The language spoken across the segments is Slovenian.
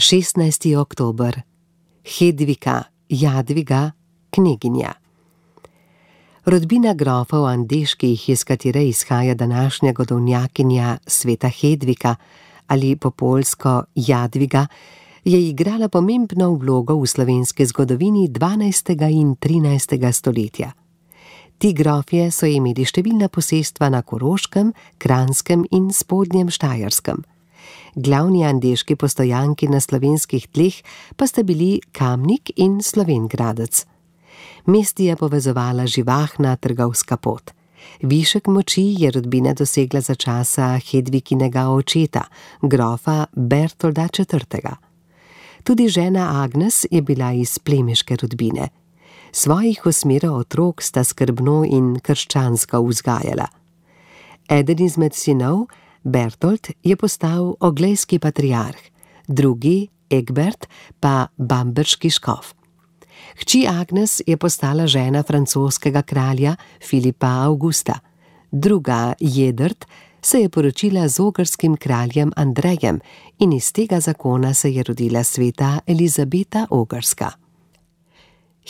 16. oktober. Hedvika, Jadviga, kneginja. Rodbina grofov Andeških, iz katere izhaja današnja godovnjakinja sveta Hedvika ali po poljsko Jadviga, je igrala pomembno vlogo v slovenski zgodovini 12. in 13. stoletja. Ti grofje so imeli številna posestva na Koroškem, Kranjskem in Spodnjem Štajerskem. Glavni andeški postojanki na slovenskih tleh pa sta bili Kamnik in Slovenj Gradec. Mesti je povezovala živahna trgovska pot. Višek moči je rodbina dosegla za časa Hedvikinega očeta, grofa Bertolda IV. Tudi žena Agnes je bila iz plemiške rodbine. Svojih 8 otrok sta skrbno in krščansko vzgajala. Eden izmed sinov, Bertold, je postal oglejski patriarh, drugi, Egbert, pa bamberški škof. Hči Agnes je postala žena francoskega kralja Filipa Augusta, druga, Jedrt, se je poročila z ogrskim kraljem Andrejem in iz tega zakona se je rodila sveta Elizabeta Ogrska.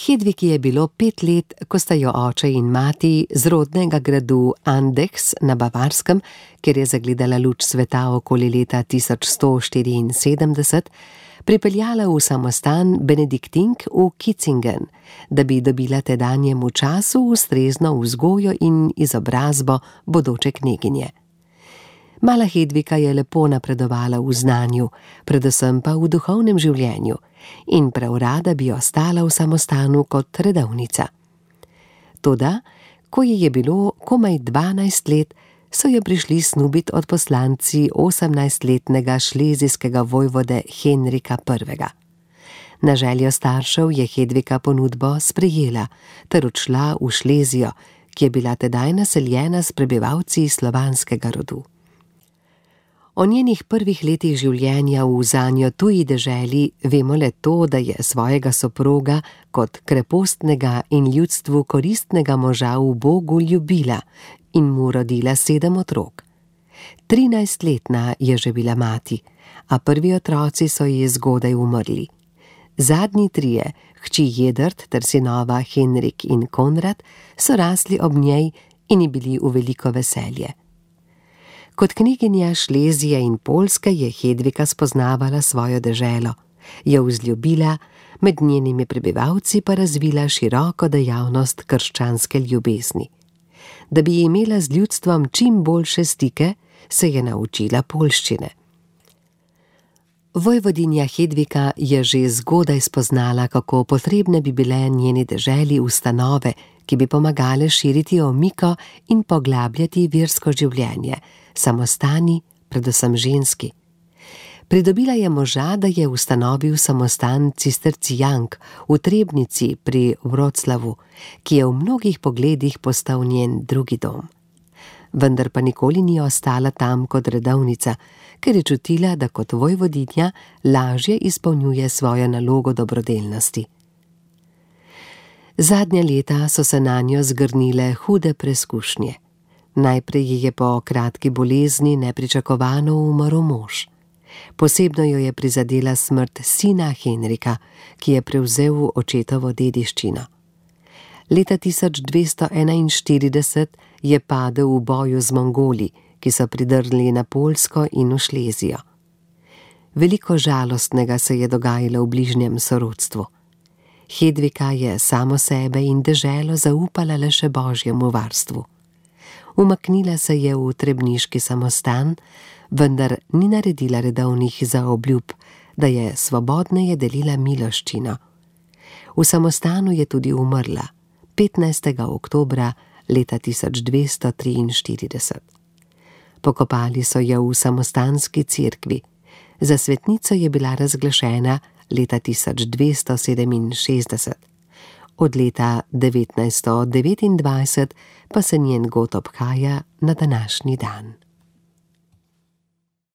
Hedvigi je bilo 5 let, ko sta jo oče in mati z rodnega gradu Andechs na Bavarskem, kjer je zagledala luč sveta okoli leta 1174, pripeljala v samostan Benediktink v Kitzingen, da bi dobila tedanjemu času ustrezno vzgojo in izobrazbo bodoče kneginje. Mala Hedvika je lepo napredovala v znanju, predvsem pa v duhovnem življenju, in prav rada bi ostala v samostanu kot redovnica. Toda, ko ji je bilo komaj 12 let, so jo prišli snubit odposlanci 18-letnega šlezijskega vojvode Henrika I. Na željo staršev je Hedvika ponudbo sprejela ter odšla v Šlezijo, ki je bila tedaj naseljena s prebivalci slovanskega rodu. O njenih prvih letih življenja v zanjo tuji deželi vemo le to, da je svojega soproga kot krepostnega in ljudstvu koristnega moža v Bogu ljubila in mu rodila 7 otrok. 13-letna je že bila mati, a prvi otroci so ji zgodaj umrli. Zadnji 3, hči Jedrt ter sinova Henrik in Konrad, so rasli ob njej in ji bili v veliko veselje. Kot kneginja Šlezije in Poljske je Hedvika spoznavala svojo deželo, jo vzljubila, med njenimi prebivalci pa razvila široko dejavnost krščanske ljubezni. Da bi imela z ljudstvom čim boljše stike, se je naučila poljščine. Vojvodinja Hedvika je že zgodaj spoznala, kako potrebne bi bile njeni deželi ustanove, ki bi pomagale širiti omiko in poglabljati versko življenje, samostani, predvsem ženski. Pridobila je moža, da je ustanovil samostan cistercijank v Trebnici pri Wroclawu, ki je v mnogih pogledih postal njen drugi dom. Vendar pa nikoli ni ostala tam kot redovnica, ker je čutila, da kot vojvodinja lažje izpolnjuje svojo nalogo dobrodelnosti. Zadnja leta so se nanjo zgrnile hude preskušnje. Najprej ji je po kratki bolezni nepričakovano umrl mož. Posebno jo je prizadela smrt sina Henrika, ki je prevzel očetovo dediščino. Leta 1241 je padel v boju z Mongoli, ki so pridrli na Poljsko in v Šlezijo. Veliko žalostnega se je dogajalo v bližnjem sorodstvu. Hedvika je samo sebe in deželo zaupala le še Božjemu varstvu. Umaknila se je v trebniški samostan, vendar ni naredila redovnih zaobljub, da je svobodneje delila miloščino. V samostanu je tudi umrla 15. oktobra leta 1243. Pokopali so jo v samostanski cerkvi. Za svetnico je bila razglašena leta 1267. Od leta 1929 pa se njen god obhaja na današnji dan.